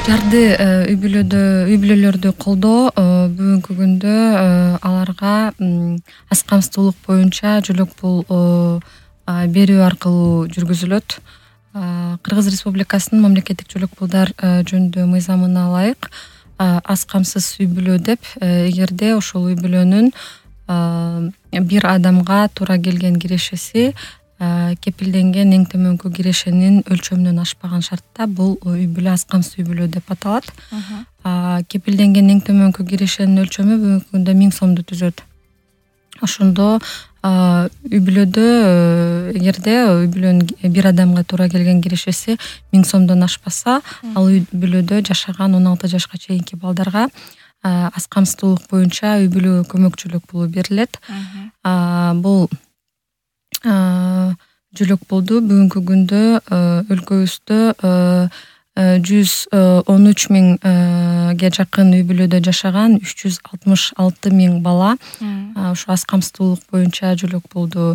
Жарды үй бүлөлөрдү колдоо бүгүнкү күндө аларга аз камсыздуулук боюнча жөлөк пул берүү аркылуу жүргүзүлөт. Кыргыз Республикасынын мамлекеттик жөлөк пулдар жөнүндө мыйзамына ылайык аз камсыз үй бүлө деп эгерде ошол үй бүлөнүн бир адамга туура келген кирешеси кепилденген эң төмөнкү кирешенин өлчөмүнөн ашпаган шартта бул үй бүлө аз камсыз үй бүлө деп аталат. Кепилденген эң төмөнкү кирешенин өлчөмү бүгүнкү күндө 1000 сомду түзөт. Ошондо үй бүлөдө эгерде үй бүлөнүн бир адамга туура келген кирешеси 1000 сомдон ашпаса, ал үй бүлөдө жашаган 16 жашка чейинки балдарга аз камсыздуулук боюнча үй бүлө көмөк жөлөк пулу берилет. Бул жөлөк пулду бүгүнкү күндө өлкөбүздө 113 миңге жакын үй бүлөдө жашаган 366 миң бала ошо аз камсыздуулук боюнча жөлөк пулду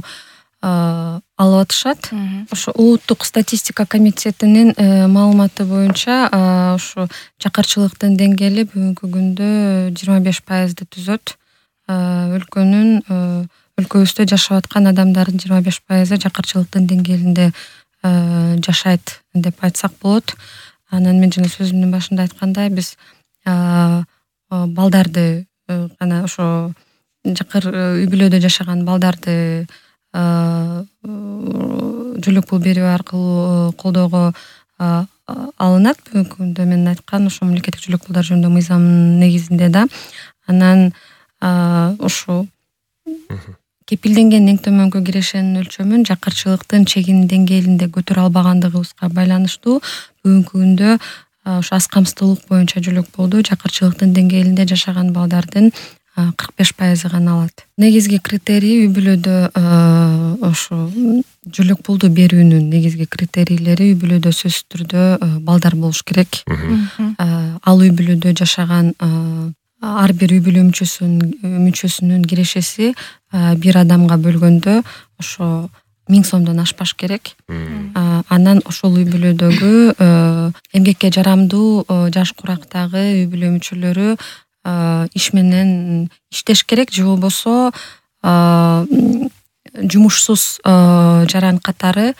алып атышат. Ошо улуттук статистика комитетинин маалыматы боюнча ошо жакырчылыктын деңгээли бүгүнкү күндө 25% түзөт. Өлкөбүздө жашап аткан адамдардын 25% жакырчылыктын деңгээлинде жашайт деп айтсак болот. Анан мен жана сөзүмдүн башында айткандай, биз балдарды гана ошо жакыр үй бүлөдө жашаган балдарды жөлөк пул берүү аркылуу колдоого алынат. Бүгүнкү күндө мен айткан ошо мамлекеттик жөлөк пулдар жөнүндө мыйзамдын негизинде да. Анан ошо кепилденген эң төмөнкү кирешенин өлчөмүн жакырчылыктын чегинин деңгээлинде көтөрө албагандыгыбызга байланыштуу бүгүнкү күндө ошо аз камсыздуулук боюнча жөлөк пулду жакырчылыктын деңгээлинде жашаган балдардын 45% гана алат. Негизги критерий үй бүлөдө ошо жөлөк пулду берүүнүн негизги критерийлери үй бүлөдө сөзсүз түрдө балдар болуш керек. Ал үй бүлөдө жашаган ар бир үй бүлө мүчөсүнүн кирешеси бир адамга бөлгөндө ошо 1000 сомдон ашпаш керек. Анан ошол үй бүлөдөгү эмгекке жарамдуу жаш курактагы үй бүлө мүчөлөрү иш менен иштеш керек, же болбосо жумушсуз жаран катары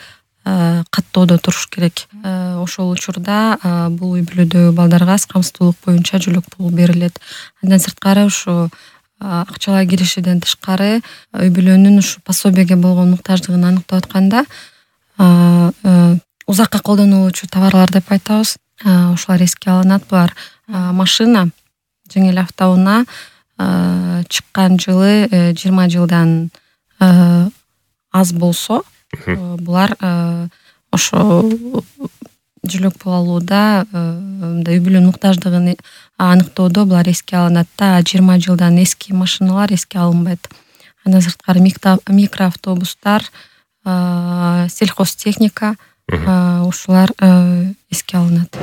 каттоодо туруш керек. Ошол учурда бул үй бүлөдөгү балдарга аз камсыздуулук боюнча жөлөк пул берилет. Андан сырткары ошо акчалай кирешеден тышкары үй бүлөнүн ушу пособияге болгон муктаждыгын аныктап атканда узакка колдонулуучу товарлар деп айтабыз. Ошолор эске алынат. Булар машина, жеңил автоунаа чыккан жылы 20 жылдан аз болсо, булар ошо жөлөк пул алууда үй бүлөнүн муктаждыгын аныктоодо булар эске алынат да. 20 жылдан эски машиналар эске алынбайт. Андан сырткары микроавтобустар, сельхозтехника ушулар эске алынат.